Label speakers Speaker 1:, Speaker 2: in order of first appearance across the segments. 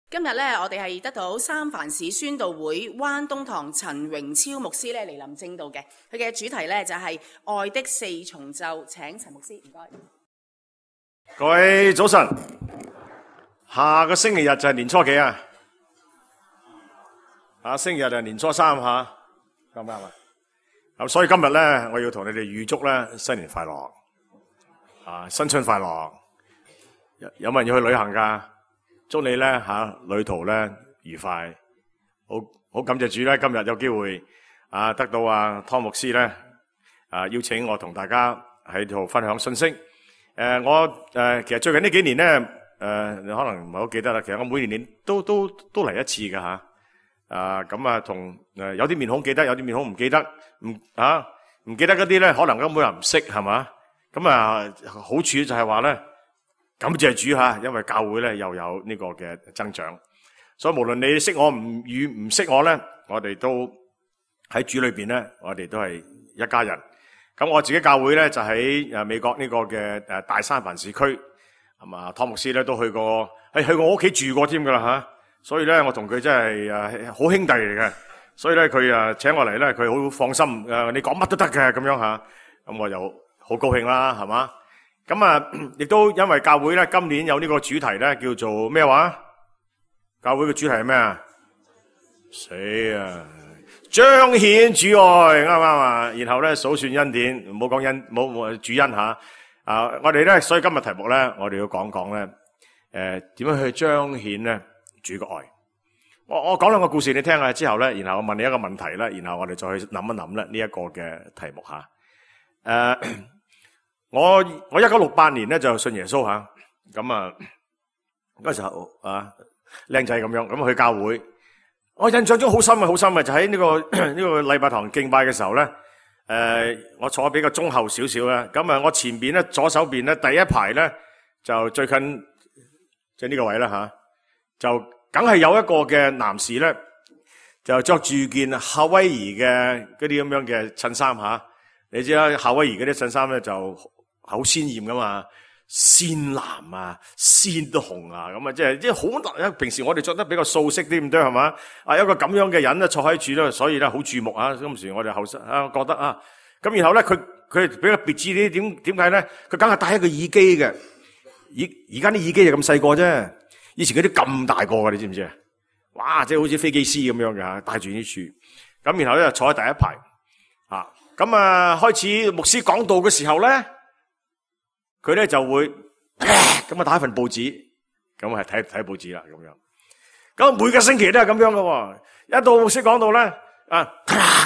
Speaker 1: 今日咧，我哋係得到三藩市宣道會灣東堂陳榮超牧師咧嚟臨證道嘅，佢嘅主題咧就係愛的四重奏。請陳牧師，唔該。
Speaker 2: 各位早晨，下個星期日就係年初幾啊？星期日就係年初三吓，啱唔啱啊？咁所以今日咧，我要同你哋預祝咧新年快樂，新春快樂。有冇人要去旅行噶？祝你咧旅途咧愉快。好感謝主咧，今日有機會得到湯牧師咧邀請我同大家喺度分享信息。我其實最近呢幾年咧你可能唔係好記得啦。其實我每年都嚟一次噶吓。咁同有啲面孔記得，有啲面孔唔記得。唔記得嗰啲咧，可能根本人唔識係嘛。咁好處就係話咧，感謝主吓，因為教會咧又有呢個嘅增長。所以無論你識我唔識我咧，我哋都喺主裏邊咧，我哋都係一家人。咁我自己教會咧就喺美國呢個嘅大三藩市區，係嘛？湯牧師咧都去過，去我屋企住過添噶啦吓。所以咧我同佢真係好兄弟嚟嘅。所以咧佢請我嚟咧，佢好放心。你講乜都得嘅咁樣吓。咁我又好高興啦，係嘛？咁亦都因為教會咧今年有呢個主題咧，叫做咩話？教會嘅主題係咩啊？彰顯主愛，啱唔啱啊？然後咧數算恩典，唔好講冇主恩吓。我哋咧，所以今日題目咧，我哋要講講咧，點樣去彰顯咧主嘅愛。我講兩個故事你聽下之後咧，然後我問你一個問題啦，然後我哋再去諗一諗咧呢一個嘅題目吓。我1968年咧就信耶穌吓，咁嗰時候靚仔咁樣，咁去教會。我印象中好深嘅，就喺呢個禮拜堂敬拜嘅時候咧，我坐比較中後少少咧，咁我前邊咧左手邊咧第一排咧就最近即係呢個位啦吓，就梗係有一個嘅男士咧，就着住件夏威夷嘅嗰啲咁樣嘅襯衫吓，你知啦，夏威夷嗰啲襯衫咧就好鮮艷噶嘛。鮮藍鮮紅咁即係好難。平時我哋着得比較素色啲咁多係嘛？一個咁樣嘅人咧坐喺處咧，所以咧好注目啊！當時我哋後生覺得咁然後咧佢比較別致啲，點解咧？佢梗係戴一個耳機嘅，而家啲耳機就咁細個啫，以前嗰啲咁大個嘅，你知唔知啊？哇！即係好似飛機師咁樣嘅，戴住呢處。咁然後咧坐喺第一排開始牧師講道嘅時候咧。佢咧就會咁打一份報紙，咁係睇報紙啦咁樣。咁每個星期都係咁樣喎。一到牧師講到咧，咁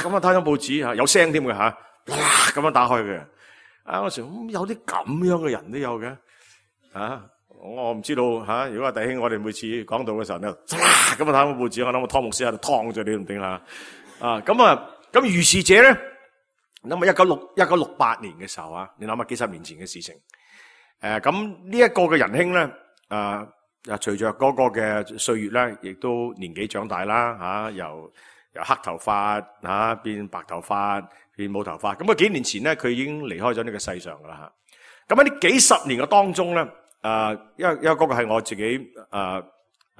Speaker 2: 睇咗報紙有聲添嘅吓，咁樣打開嘅。我時有啲咁樣嘅人都有嘅，我唔知道吓。如果弟兄我哋每次講到嘅時候咧，咁睇咗報紙，我諗我湯牧師喺度燙咗你都唔定啦。咁如是者咧，諗下1968年嘅時候你諗下幾十年前嘅事情。咁呢一個嘅仁兄咧，隨着嗰個嘅歲月咧，亦都年紀長大啦，由黑頭髮變白頭髮，變冇頭髮。咁幾年前咧，佢已經離開咗呢個世上噶啦吓。咁喺呢幾十年嘅當中咧，因為嗰個係我自己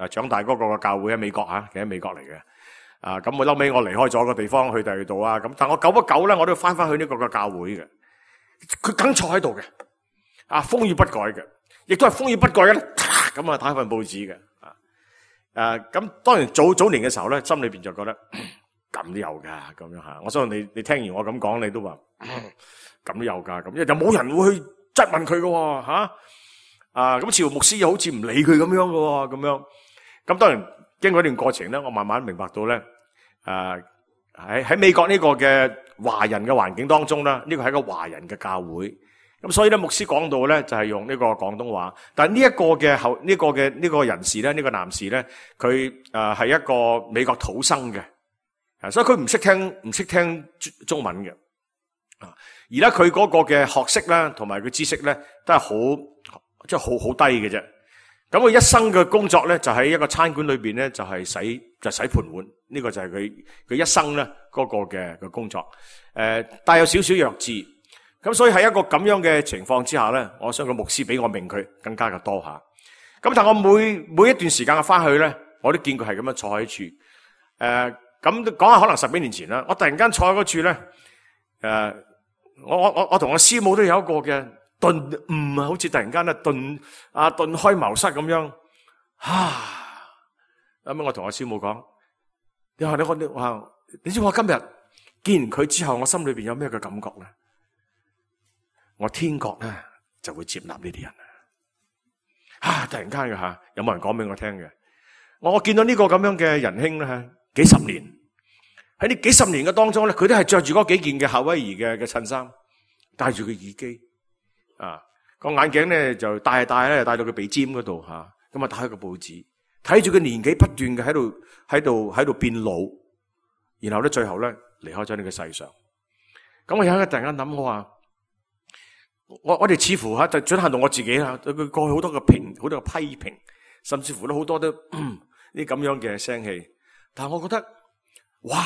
Speaker 2: 長大嗰個嘅教會喺美國其實喺美國嚟嘅。咁我後尾我離開咗個地方去第二度咁但我久不久咧，我都翻翻去呢個嘅教會嘅。佢梗坐喺度嘅。風雨不改嘅，亦都係風雨不改嘅咧。咁打一份報紙嘅。咁當然早年嘅時候咧，心裏邊就覺得咁都有噶咁樣吓。我相信你聽完我咁講，你都話咁都有噶咁，因為就冇人會去質問佢嘅吓。咁似乎牧師又好似唔理佢咁樣嘅咁樣。咁當然經過一段過程咧，我慢慢明白到咧，喺美國呢個嘅華人嘅環境當中咧，呢個係一個華人嘅教會。咁所以咧，牧師講到咧就係用呢個廣東話，但係呢一個嘅呢個人士咧，呢個男士咧，佢係一個美國土生嘅，所以佢唔識聽中文嘅，而咧佢嗰個嘅學識咧，同埋佢知識咧，都係好低嘅啫。咁佢一生嘅工作咧，就喺一個餐館裏邊咧，就係洗盤碗，呢個就係佢一生咧嗰個嘅工作，帶有少少弱智。咁所以喺一個咁樣嘅情況之下咧，我相信牧師比我明佢更加嘅多吓。咁但我每一段時間嘅翻去咧，我都見佢係咁樣坐喺處。咁講下可能10幾年前啦，我突然間坐喺嗰處咧，我同我師母都有一個嘅頓悟啊，好似突然間咧頓開茅塞咁樣。咁我同我師母講，你知我今日見完佢之後，我心裏邊有咩嘅感覺咧？我天國咧就會接納呢啲人突然間嘅有冇人講俾我聽嘅？我見到呢個咁樣嘅仁兄咧，幾十年喺呢幾十年嘅當中咧，佢都係着住嗰幾件嘅夏威夷嘅襯衫，戴住個耳機，個眼鏡咧就戴到佢鼻尖嗰度咁打開個報紙，睇住佢年紀不斷嘅喺度變老，然後咧最後咧離開咗呢個世上。咁我有一日突然間諗，我話我哋似乎就轉向到我自己啦，對佢過去好多嘅批評，甚至乎都好多都呢咁樣嘅聲氣。但係我覺得，哇！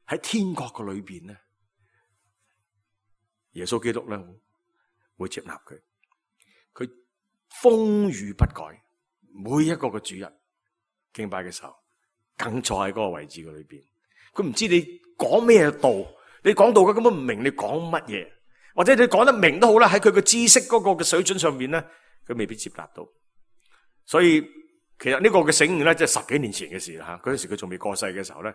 Speaker 2: 喺天國嘅裏邊咧，耶穌基督咧會接納佢，佢風雨不改，每一個嘅主日敬拜嘅時候，更坐喺嗰個位置嘅裏邊。佢唔知你講咩道，你講道佢根本唔明你講乜嘢，或者你講得明都好啦，喺佢嘅知識嗰個嘅水準上面咧，佢未必接納到。所以其實呢個嘅醒悟咧，即係10幾年前嘅事啦。嗰陣時佢仲未過世嘅時候咧，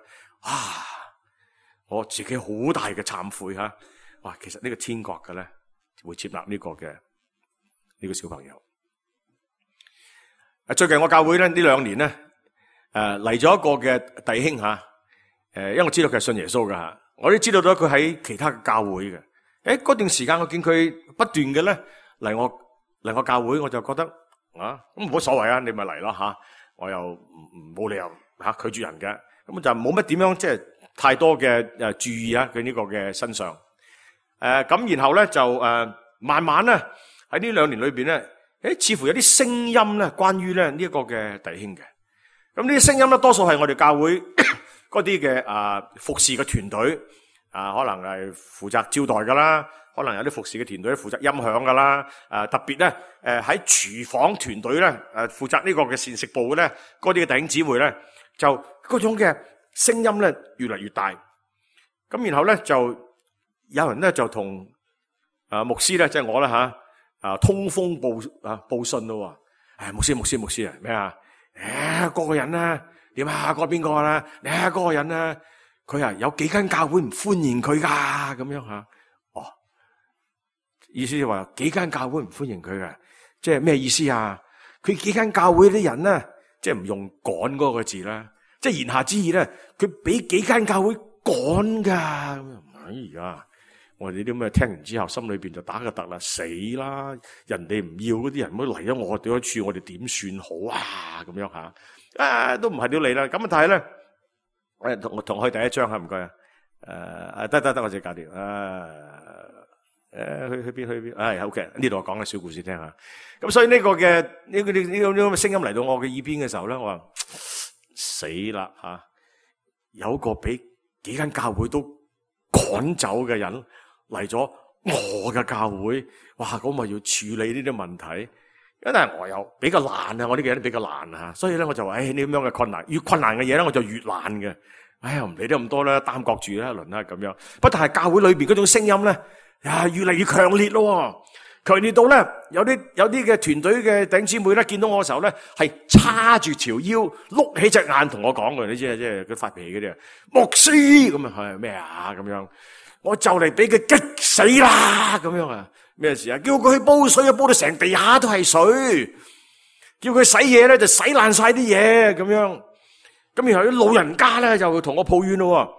Speaker 2: 我自己好大嘅懺悔哇！其實呢個天國嘅咧會接納呢個嘅呢個小朋友。最近我教會咧呢2年咧嚟咗一個嘅弟兄因為我知道佢係信耶穌噶我都知道咗佢喺其他嘅教會嘅。嗰段時間我見佢不斷嘅咧嚟我教會，我就覺得咁冇所謂你咪嚟咯我又冇理由拒絕人嘅，咁就冇乜點樣即係太多嘅注意佢呢個嘅身上。咁然後咧就慢慢咧喺呢2年裏邊咧，似乎有啲聲音咧關於咧呢一個嘅弟兄嘅。咁呢啲聲音咧多數係我哋教會嗰啲嘅服侍嘅團隊可能係負責招待噶啦，可能有啲服侍嘅團隊負責音響噶啦，特別咧喺廚房團隊咧負責呢個嘅膳食部嘅咧，嗰啲嘅弟兄姊妹咧就嗰種嘅聲音咧越嚟越大。咁然後咧就有人咧就同牧師咧即係我啦通風報信咯。牧師咩嗰個人啦點嗰個邊個啦？你嗰個人啦，佢有幾間教會唔歡迎佢噶咁樣意思就話幾間教會唔歡迎佢嘅，即係咩意思啊？佢幾間教會啲人咧，即係唔用趕嗰個字啦，即係言下之意咧，佢俾幾間教會趕噶。哎呀，我哋啲咁嘅聽完之後，心裏邊就打個突啦，死啦！人哋唔要嗰啲人，唔好嚟咗我哋嗰處，我哋點算好啊？咁樣都唔係屌你啦。咁但係咧，我同去第一章唔該得，我自己搞掂。去邊？好嘅，呢度我講個小故事聽下。咁所以呢個嘅呢個聲音嚟到我嘅耳邊嘅時候咧，我話死啦有個俾幾間教會都趕走嘅人嚟咗我嘅教會，哇！咁咪要處理呢啲問題。因為我又比較懶我呢個人比較懶所以咧我就話呢咁樣嘅困難，越困難嘅嘢咧我就越懶嘅。唔理得咁多啦，擔角住啦一輪啦咁樣。不但係教會裏邊嗰種聲音咧，越嚟越強烈咯，強烈到咧有啲嘅團隊嘅弟兄姊妹咧見到我嘅時候咧，係叉住條腰，碌起隻眼同我講嘅，你知啊，即係佢發脾氣嗰啲牧師咁係咩咁樣？我就嚟俾佢激死啦咁樣咩事啊？叫佢去煲水煲到成地下都係水，叫佢洗嘢咧就洗爛晒啲嘢咁樣。咁然後啲老人家咧就同我抱怨咯，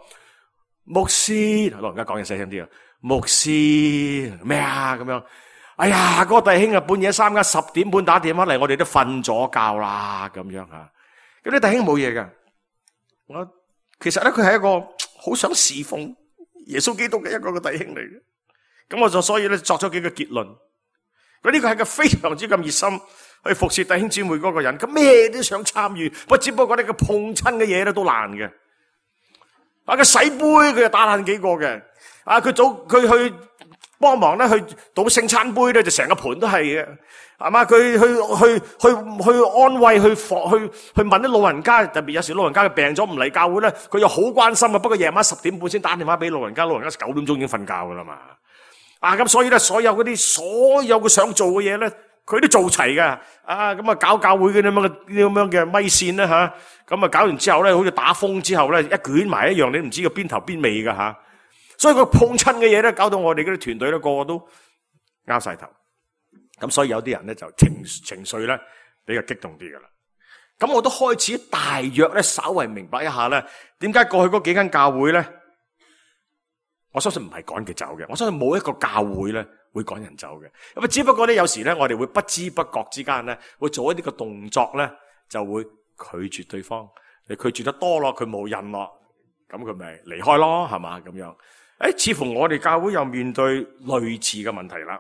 Speaker 2: 牧師，老人家講嘢細聲啲牧師咩咁樣？哎呀，嗰個弟兄半夜3更10點半打電話嚟，我哋都瞓咗覺啦咁樣咁啲弟兄冇嘢嘅。我其實咧佢係一個好想侍奉耶穌基督嘅一個弟兄嚟嘅。咁我就所以咧作咗幾個結論。呢個係個非常之咁熱心去服侍弟兄姊妹嗰個人，咁咩都想參與，只不過呢個碰親嘅嘢咧都難嘅。佢洗杯佢就打爛幾個嘅。佢去幫忙咧去倒聖餐杯咧，就成個盤都係嘅，係嘛？佢去安慰，去問啲老人家，特別有時老人家病咗唔嚟教會咧，佢又好關心啊。不過夜晚10點半先打電話俾老人家，老人家9點鐘已經瞓覺噶啦嘛。咁所以咧，所有佢想做嘅嘢咧，佢都做齊㗎。咁啊搞教會嘅咁樣嘅咪線咧吓，咁啊搞完之後咧，好似打風之後咧，一捲埋一樣，你唔知個邊頭邊尾㗎吓。所以佢碰親嘅嘢咧，搞到我哋嗰啲團隊咧，個個都拗晒頭。咁所以有啲人咧就情緒咧比較激動啲噶啦。咁我都開始大約咧稍為明白一下咧，點解過去嗰幾間教會咧，我相信唔係趕佢走嘅。我相信冇一個教會咧會趕人走嘅。咁啊，只不過咧有時咧，我哋會不知不覺之間咧，會做一啲嘅動作咧，就會拒絕對方。你拒絕得多咯，佢冇癮咯，咁佢咪離開咯，係嘛咁樣。似乎我哋教會又面對類似嘅問題啦，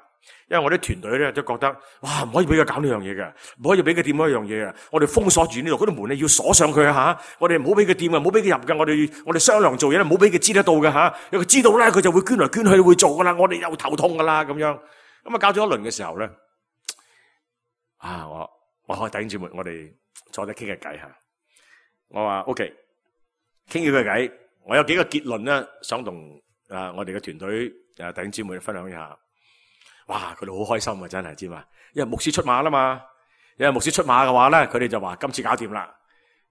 Speaker 2: 因為我啲團隊咧都覺得，哇，唔可以俾佢搞呢樣嘢嘅，唔可以俾佢掂嗰樣嘢嘅，我哋封鎖住呢度，嗰啲門咧要鎖上佢吓，我哋唔好俾佢掂嘅，唔好俾佢入嘅，我哋商量做嘢咧，唔好俾佢知得到嘅吓，如果佢知道咧，佢就會捐來捐去會做噶啦，我哋又頭痛噶啦咁樣，咁啊搞咗一輪嘅時候咧，我開弟兄姊妹，我哋坐低傾下偈吓，我話 OK， 傾咗個偈，我有幾個結論咧，想同我哋嘅團隊弟兄姊妹分享一下。哇，佢哋好開心啊，真係知嘛？因為牧師出馬啦嘛，因為牧師出馬嘅話咧，佢哋就話今次搞掂啦。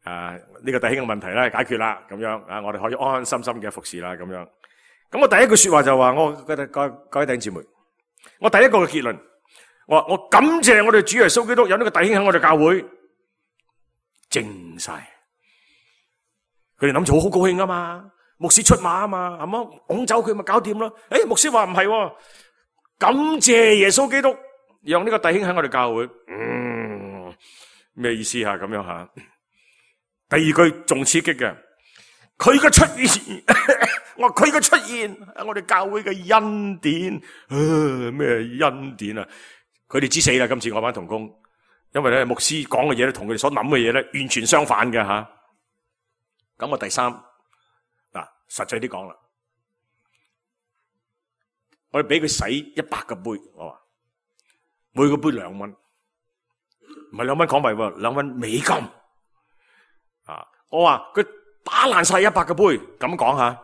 Speaker 2: 呢個弟兄嘅問題咧解決啦，咁樣我哋可以安安心心嘅服侍啦，咁樣。咁我第一句說話就話，各位弟兄姊妹，我第一個嘅結論，我感謝我哋主耶穌基督有呢個弟兄喺我哋教會靜晒，佢哋諗住好高興啊嘛。牧師出馬啊嘛，係嘛？拱走佢咪搞掂咯？牧師話唔係，感謝耶穌基督讓呢個弟兄喺我哋教會。咩意思啊？咁樣吓。第二句仲刺激嘅，佢嘅出現，我話佢嘅出現係我哋教會嘅恩典。咩恩典啊？佢哋知死啦！今次我班同工，因為咧牧師講嘅嘢咧，同佢哋所諗嘅嘢咧，完全相反嘅吓。咁我第三。實際啲講啦，我哋俾佢洗100個杯，我話每個杯2蚊，唔係2蚊港幣喎，2蚊美金。我話佢打爛晒100個杯，咁講下，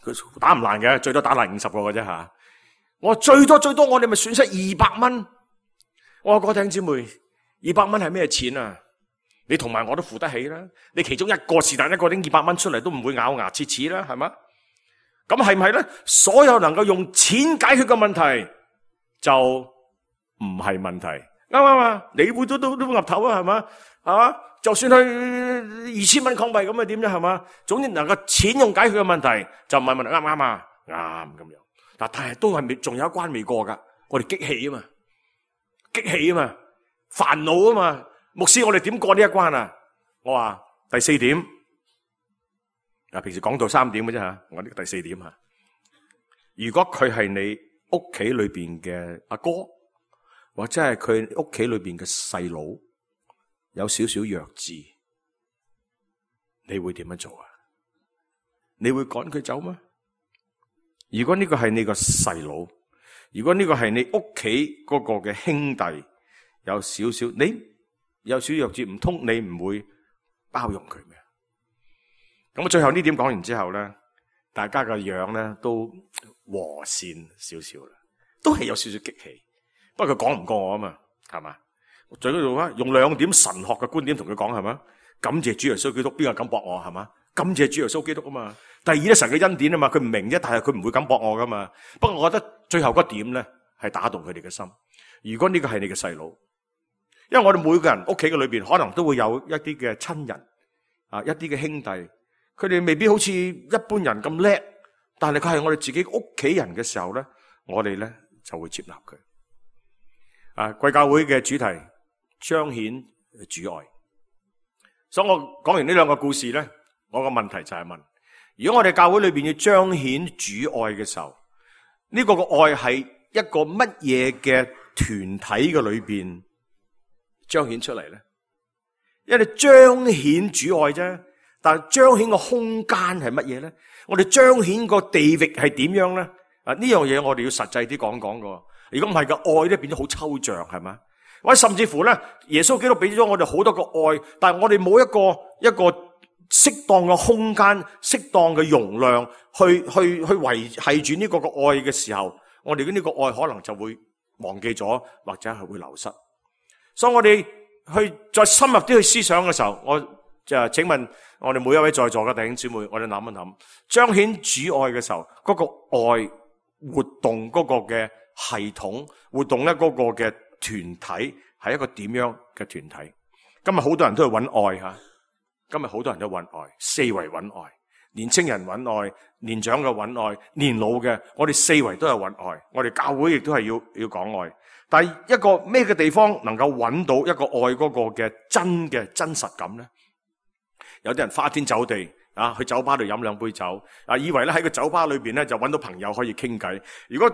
Speaker 2: 佢打唔爛嘅，最多打爛50個嘅啫吓。我話最多我哋咪損失200蚊。我話各位弟兄姊妹，200蚊係咩錢啊？你同埋我都付得起啦，你其中一個是但一個拎200蚊出嚟都唔會咬牙切齒啦，係嘛？咁係唔係咧？所有能夠用錢解決嘅問題就唔係問題，啱唔啱啊？你會都岌頭啊，係嘛？係嘛？就算係2000蚊港幣咁啊，點啫，係嘛？總之能夠錢用解決嘅問題就唔係問題，啱唔啱啊？啱咁樣。但係都係仲有一關未過噶，我哋激氣啊嘛，煩惱啊嘛。牧師，我哋點過呢一關啊？我話第4點，平時講到3點嘅啫吓，我呢個第4點吓。如果佢係你屋企裏邊嘅阿哥，或者係佢屋企裏邊嘅細佬，有少少弱智，你會點樣做啊？你會趕佢走嗎？如果呢個係你個細佬，如果呢個係你屋企嗰個嘅兄弟，有少少弱智，唔通你唔會包容佢咩？咁最後呢點講完之後咧，大家嘅樣咧都和善少少啦，都係有少少激氣。不過佢講唔過我啊嘛，係嘛？最緊要用2點神學嘅觀點同佢講，係嘛？感謝主耶穌基督，邊個敢駁我，係嘛？感謝主耶穌基督啊嘛。第二咧，神嘅恩典啊嘛，佢唔明啫，但係佢唔會敢駁我噶嘛。不過我覺得最後嗰點咧係打動佢哋嘅心。如果呢個係你嘅細佬，因為我哋每個人屋企嘅裏邊可能都會有一啲嘅親人一啲嘅兄弟，佢哋未必好似一般人咁叻，但係佢係我哋自己屋企人嘅時候咧，我哋咧就會接納佢。貴教會嘅主題彰顯主愛，所以我講完呢2個故事咧，我個問題就係問：如果我哋教會裏邊要彰顯主愛嘅時候，呢個嘅愛係一個乜嘢嘅團體嘅裏邊彰顯出嚟咧？因為彰顯主愛啫，但係彰顯個空間係乜嘢咧？我哋彰顯個地域係點樣咧？呢樣嘢我哋要實際啲講講噶。如果唔係嘅愛咧，變咗好抽象，係咪？或者甚至乎咧，耶穌基督俾咗我哋好多個愛，但係我哋冇一個適當嘅空間、適當嘅容量去維繫住呢個愛嘅時候，我哋嘅呢個愛可能就會忘記咗，或者係會流失。所以我哋去再深入啲去思想嘅時候，我就請問我哋每一位在座嘅弟兄姊妹，我哋諗一諗，彰顯主愛嘅時候，嗰個愛活動嗰個嘅系統，活動咧嗰個嘅團體係一個點樣嘅團體？今日好多人都去揾愛吓，今日好多人都揾愛，四圍揾愛，年青人揾愛，年長嘅揾愛，年老嘅，我哋四圍都係揾愛，我哋教會亦都係要講愛。但係一個咩嘅地方能夠揾到一個愛嗰個嘅真實感咧？有啲人花天酒地啊，去酒吧度飲兩杯酒啊，以為咧喺個酒吧裏邊咧就揾到朋友可以傾偈。如果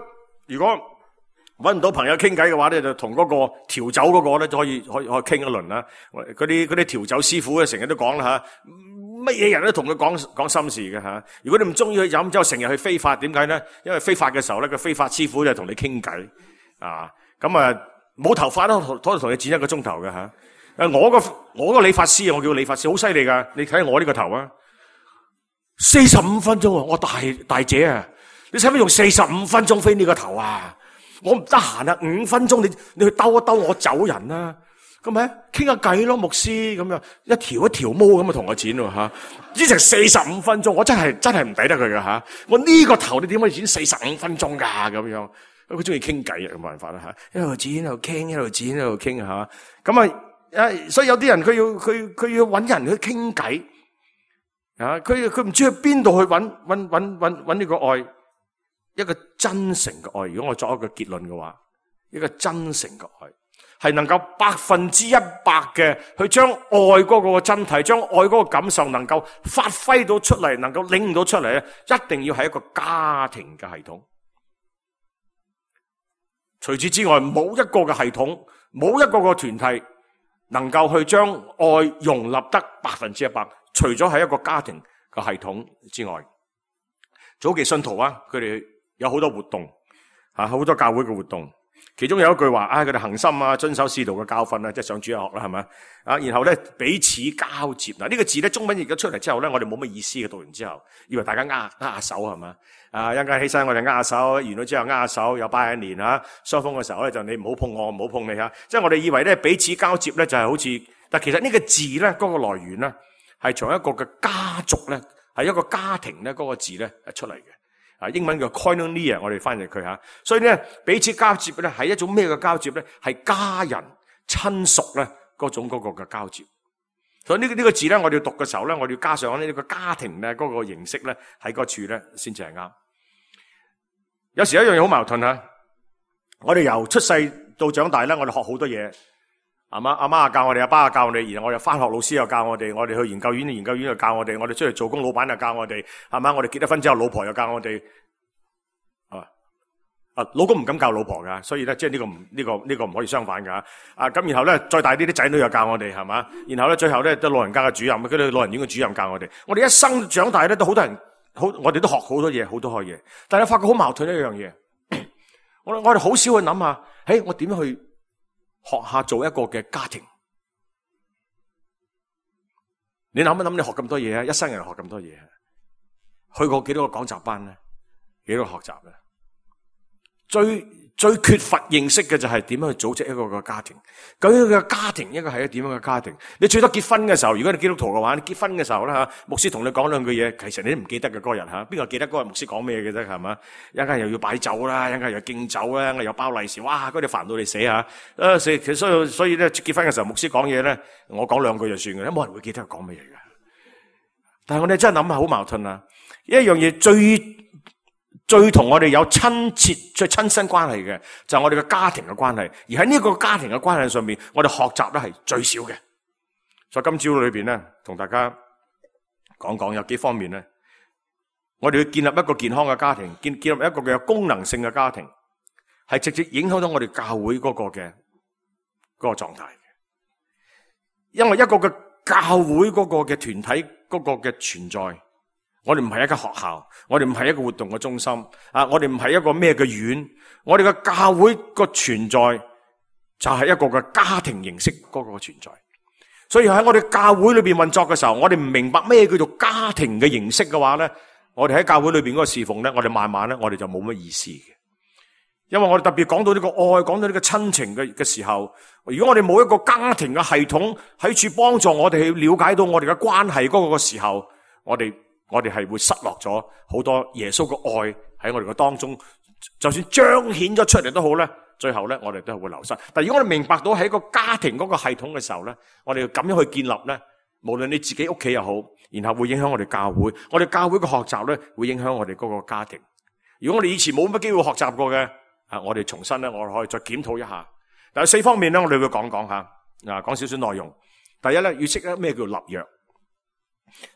Speaker 2: 揾唔到朋友傾偈嘅話咧，就同嗰個調酒嗰個咧就可以傾一輪啦。嗰啲調酒師傅咧成日都講啦吓，乜嘢人都同佢講心事嘅吓。如果你唔中意去飲酒，成日去非法，點解咧？因為非法嘅時候咧，個非法師傅就同你傾偈啊。咁啊，冇頭髮都可以同你剪1個鐘頭嘅吓。我個理髮師，我叫理髮師，好犀利噶。你睇下我呢個頭啊，45分鐘啊！我大姐啊，你使乜用45分鐘飛呢個頭啊？我唔得閒啊，5分鐘你去兜一兜我走人啦，咁咪傾下偈咯，牧師咁樣一條毛咁啊同我剪喎吓，呢成45分鐘，我真係唔抵得佢噶吓。我呢個頭你點可以剪45分鐘噶咁樣？佢中意傾偈啊，冇辦法啦吓，一路剪一路傾，一路剪一路傾吓。咁啊，所以有啲人佢要搵人去傾偈啊，佢唔知去邊度去搵呢個愛。一個真誠嘅愛，如果我作一個結論嘅話，一個真誠嘅愛係能夠100%嘅去將愛嗰個真諦，將愛嗰個感受能夠發揮到出嚟，能夠領到出嚟咧，一定要係一個家庭嘅系統。除此之外，冇一個嘅系統，冇一個嘅團體能夠去將愛容納得100%，除咗係一個家庭嘅系統之外。早期信徒啊，佢哋有好多活動啊，好多教會嘅活動，其中有一句話佢哋恒心啊，遵守使徒嘅教訓啊，即係上主日學啦，係咪啊？然後咧彼此交接嗱，呢個字咧中文譯咗出嚟之後咧，我哋冇乜意思嘅，讀完之後以為大家握下手係嘛啊，一陣間起身我哋握下手，完咗之後握下手，又拜年啊，雙方嘅時候咧就你唔好碰我，唔好碰你吓，即係我哋以為咧彼此交接咧就係好似，但其實呢個字咧嗰個來源咧係從一個嘅家族咧，係一個家庭咧嗰個字咧出嚟嘅。英文叫 koinonia， 我哋翻譯佢吓，所以咧彼此交接咧係一種咩嘅交接咧？係家人親屬咧嗰種嗰個嘅交接。所以呢個字咧，我哋要讀嘅時候咧，我哋要加上呢個家庭咧嗰個形式咧喺嗰處咧先至係啱。有時有一樣嘢好矛盾吓，我哋由出世到長大咧，我哋學好多嘢，阿媽教我哋，阿爸教我哋，然後我哋翻學，老師又教我哋，我哋去研究院又教我哋，我哋出嚟做工，老闆又教我哋，係嘛？我哋結咗婚之後，老婆又教我哋，老公唔敢教老婆噶，所以咧即係呢個唔可以相反噶。咁然後咧再大啲，啲仔女又教我哋，係嘛？然後咧最後咧都老人家嘅主任，嗰啲老人院嘅主任教我哋。我哋一生長大咧都好多人，我哋都學好多嘢，好多嘢。但係發覺好矛盾一樣嘢，我哋好少去諗下，我點樣去學下做一個嘅家庭？你諗一諗，你學咁多嘢啊，一生人學咁多嘢，去過幾多個講習班咧？幾多個學習咧？最缺乏認識嘅就係點樣去組織一個個家庭。究竟個家庭應該係一個點樣嘅家庭？你最多結婚嘅時候，如果你基督徒嘅話，你結婚嘅時候咧牧師同你講兩句嘢，其實你都唔記得嘅嗰日邊個記得嗰日牧師講咩嘅啫？係嘛？一陣間又要擺酒啦，一陣間又敬酒啦，又包利是，哇！嗰啲煩到你死吓。所以咧結婚嘅時候，牧師講嘢咧，我講兩句就算嘅，冇人會記得佢講乜嘢嘅。但係我哋真係諗下好矛盾啊！一樣嘢最同我哋有親切、最親身關係嘅，就係我哋嘅家庭嘅關係。而喺呢個家庭嘅關係上面，我哋學習咧係最少嘅。所以今朝裏邊咧，同大家講講有幾方面咧，我哋要建立一個健康嘅家庭，建立一個有功能性嘅家庭，係直接影響到我哋教會嗰個嘅嗰個狀態嘅。因為一個嘅教會嗰個嘅團體嗰個嘅存在，我哋唔係一間學校，我哋唔係一個活動嘅中心啊！我哋唔係一個咩嘅院，我哋嘅教會個存在就係一個嘅家庭形式嗰個存在。所以喺我哋教會裏邊運作嘅時候，我哋唔明白咩叫做家庭嘅形式嘅話咧，我哋喺教會裏邊嗰個侍奉咧，我哋慢慢咧，我哋就冇乜意思嘅。因為我哋特別講到呢個愛，講到呢個親情嘅時候，如果我哋冇一個家庭嘅系統喺處幫助我哋去了解到我哋嘅關係嗰個時候，我哋係會失落咗好多耶穌嘅愛喺我哋嘅當中，就算彰顯咗出嚟都好咧，最後咧我哋都係會流失。但如果我哋明白到喺一個家庭嗰個系統嘅時候咧，我哋要咁樣去建立咧，無論你自己屋企又好，然後會影響我哋教會，我哋教會嘅學習咧會影響我哋嗰個家庭。如果我哋以前冇乜機會學習過嘅，我哋重新咧，我哋可以再檢討一下。但係4方面咧，我哋會講下，講少少內容。第一咧，要識得咩叫立約。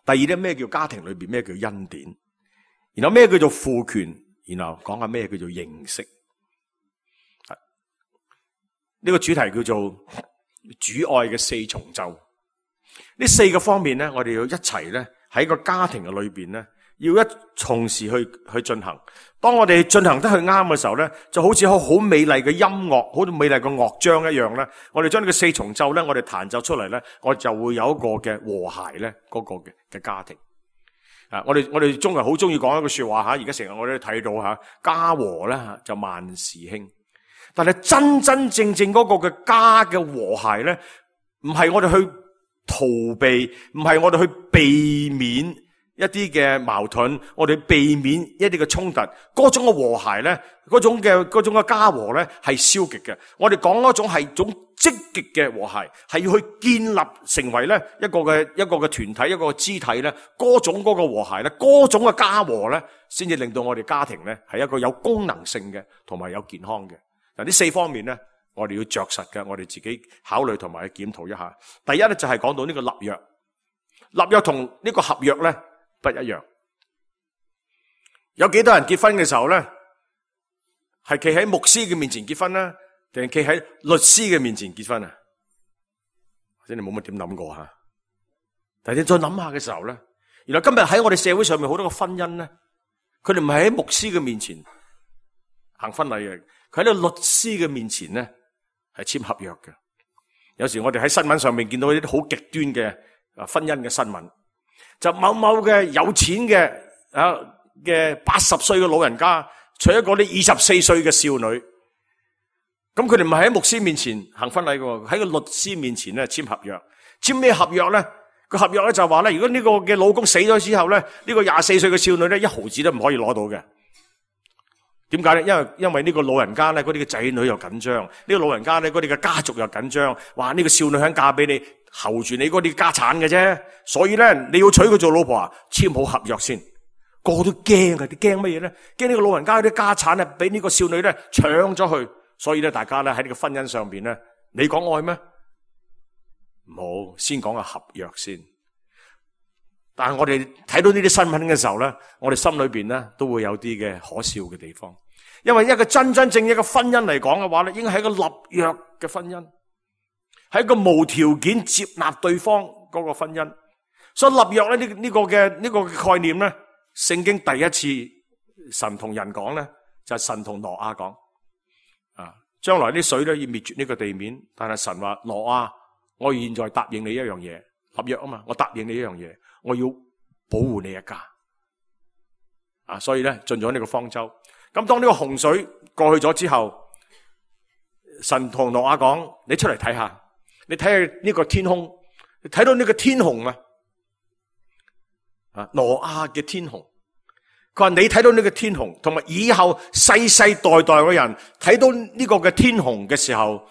Speaker 2: 第二咧，咩叫家庭裏邊咩叫恩典，然後咩叫做父權，然後講下咩叫做認識。呢個主題叫做主愛嘅4重奏。呢4個方面咧，我哋要一齊咧喺個家庭嘅裏邊咧，要一同時去進行。當我哋進行得去啱嘅時候咧，就好似好美麗嘅音樂，好似美麗嘅樂章一樣咧。我哋將呢個4重奏咧，我哋彈奏出嚟咧，我就會有一個嘅和諧咧，嗰個嘅家庭。我哋中國人好中意講一句說話吓，而家成日我哋都睇到吓，家和咧就萬事興。但係真真正正嗰個嘅家嘅和諧咧，唔係我哋去逃避，唔係我哋去避免一啲嘅矛盾，我哋避免一啲嘅衝突，嗰種嘅和諧咧，嗰種嘅家和咧係消極嘅。我哋講嗰種係種積極嘅和諧，係要去建立成為咧一個嘅團體，一個肢體咧，嗰種嗰個和諧咧，嗰種嘅家和咧，先至令到我哋家庭咧係一個有功能性嘅，同埋有健康嘅。嗱，呢4方面咧，我哋要着實嘅，我哋自己考慮同埋去檢討一下。第一咧就係講到呢個立約，立約同呢個合約咧不一樣。有幾多人結婚嘅時候咧，係企喺牧師嘅面前結婚啦，定係企喺律師嘅面前結婚啊？或者你冇乜點諗過吓？但係你再諗下嘅時候咧，原來今日喺我哋社會上面好多個婚姻咧，佢哋唔係喺牧師嘅面前行婚禮嘅，佢喺呢個律師嘅面前咧係簽合約嘅。有時我哋喺新聞上面見到一啲好極端嘅婚姻嘅新聞，就某某嘅有錢嘅80歲嘅老人家娶一個啲24歲嘅少女，咁佢哋唔係喺牧師面前行婚禮嘅，喺個律師面前咧簽合約。簽咩合約咧？個合約咧就話咧，如果呢個嘅老公死咗之後咧，呢個24歲嘅少女咧1毫子都唔可以攞到嘅。點解咧？因為呢個老人家咧，嗰啲嘅仔女又緊張，呢個老人家咧，嗰啲嘅家族又緊張，話呢個少女肯嫁俾你，候住你嗰啲家產嘅啫。所以咧，你要娶佢做老婆啊，簽好合約先。個個都驚啊！你驚乜嘢咧？驚呢個老人家啲家產咧，俾呢個少女咧搶咗去。所以咧，大家咧喺呢個婚姻上邊咧，你講愛咩？唔好，先講個合約先。但係我哋睇到呢啲新聞嘅時候咧，我哋心裏邊咧都會有啲嘅可笑嘅地方，因為一個真真正一個婚姻嚟講嘅話咧，應該係一個立約嘅婚姻，係一個無條件接納對方嗰個婚姻。所以立約咧呢個嘅概念咧，聖經第一次神同人講咧，就係神同挪亞講啊，將來啲水咧要滅絕呢個地面，但係神話挪亞，我現在答應你一樣嘢，立約啊嘛，我答應你一樣嘢。我要保護你一家啊，所以咧進咗呢個方舟。咁當呢個洪水過去咗之後，神同挪亞講：你出嚟睇下，你睇下呢個天空，你睇到呢個天虹啊？挪亞嘅天虹。佢話你睇到呢個天虹，同埋以後世世代代嘅人睇到呢個嘅天虹嘅時候，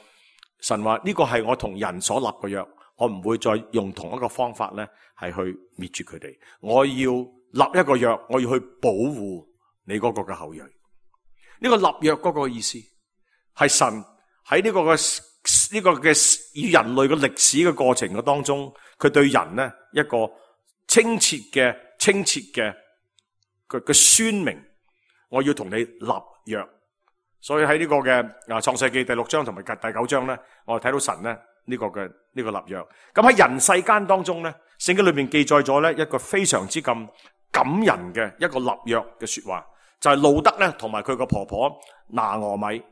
Speaker 2: 神話呢個係我同人所立嘅約。我唔會再用同一個方法咧，係去滅絕佢哋。我要立一個約，我要去保護你嗰個嘅後裔。呢個立約嗰個意思係神喺呢個嘅與人類嘅歷史嘅過程嘅當中，佢對人咧一個清澈嘅宣明，我要同你立約。所以喺呢個嘅創世記第6章同埋第9章咧，我哋睇到神咧。呢個立約，咁喺人世間當中咧，聖經裏面記載咗咧一個非常之咁感人嘅一個立約嘅說話，就係路德咧同埋佢個婆婆拿俄米。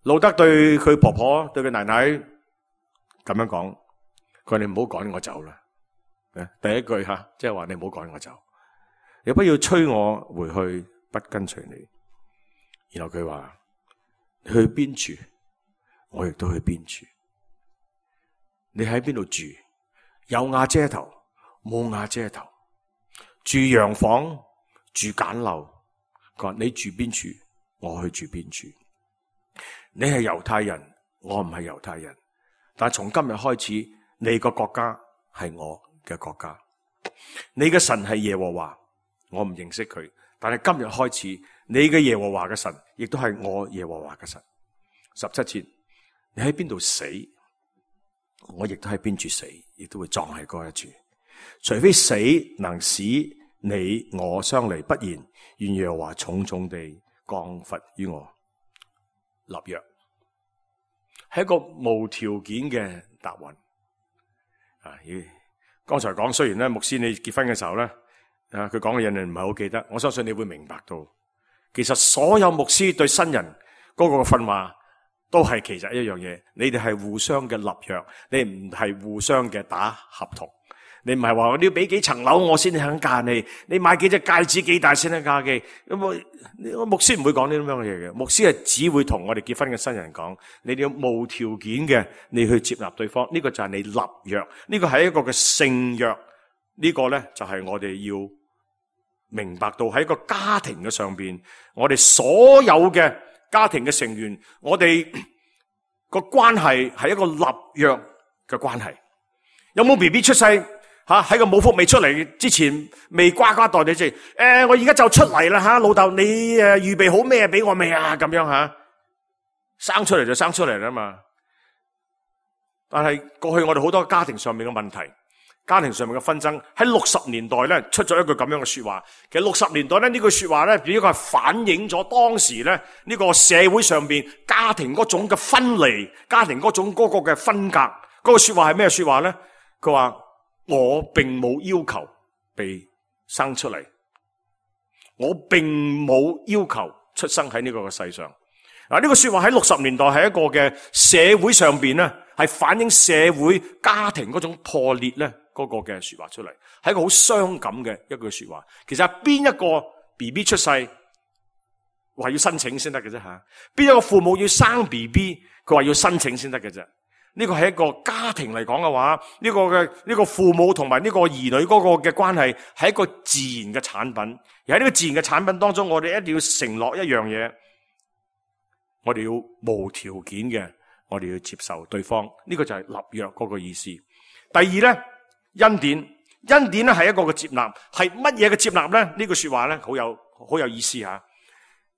Speaker 2: 路德對佢婆婆對佢奶奶咁樣講，佢話你唔好趕我走啦。第一句吓，即係話你唔好趕我走，你不要催我回去不跟隨你。然後佢話你去邊處，我亦都去邊處。你喺邊度住？有瓦遮頭，冇瓦遮頭，住洋房，住簡陋。佢話你住邊處，我去住邊處。你係猶太人，我唔係猶太人，但係從今日開始，你個國家係我嘅國家。你嘅神係耶和華，我唔認識佢，但係今日開始，你嘅耶和華嘅神亦都係我耶和華嘅神。17節，你喺邊度死，我亦都喺邊處死，亦都會葬喺嗰一處。除非死能使你我相離，不然願耶和華重重地降罰於我。立約係一個無條件嘅答案。剛才講，雖然咧牧師你結婚嘅時候咧，佢講嘅嘢你唔係好記得，我相信你會明白到，其實所有牧師對新人嗰個訓話都係其實一樣嘢，你哋係互相嘅立約，你唔係互相嘅打合同。你唔係話你要俾幾層樓我先肯嫁你，你買幾隻戒指幾大先肯嫁你。咁牧師唔會講呢啲咁樣嘅嘢嘅，牧師係只會同我哋結婚嘅新人講，你哋要無條件嘅，你去接納對方，呢個就係你立約，呢個係一個嘅聖約，呢個咧就係我哋要明白到喺一個家庭嘅上邊，我哋所有嘅家庭嘅成員，我哋個關係係一個立約嘅關係。有冇 BB 出世？喺個母腹未出嚟之前，未呱呱待你即係，我而家就出嚟啦吓，老豆你預備好咩俾我未啊？咁樣吓，生出嚟就生出嚟啦嘛。但係過去我哋好多家庭上面嘅問題，家庭上面嘅紛爭，喺60年代咧出咗一句咁樣嘅說話。其實60年代咧呢句說話咧，只不過係反映咗當時咧呢個社會上邊家庭嗰種嘅分離，家庭嗰種嗰個嘅分隔。嗰個說話係咩說話咧？佢話我並冇要求被生出嚟，我並冇要求出生喺呢個世上。呢個說話喺60年代係一個嘅社會上邊咧，係反映社會家庭嗰種破裂咧嗰個嘅說話出嚟，係一個好傷感嘅一句說話。其實係邊一個 BB 出世話要申請先得嘅啫吓？邊一個父母要生 BB 佢話要申請先得嘅啫？呢個係一個家庭嚟講嘅話，呢個父母同埋呢個兒女嗰個嘅關係係一個自然嘅產品。而喺呢個自然嘅產品當中，我哋一定要承諾一樣嘢，我哋要無條件嘅，我哋要接受對方。呢個就係立約嗰個意思。第二咧，恩典咧係一個嘅接納，係乜嘢嘅接納咧？呢句說話咧好有意思吓。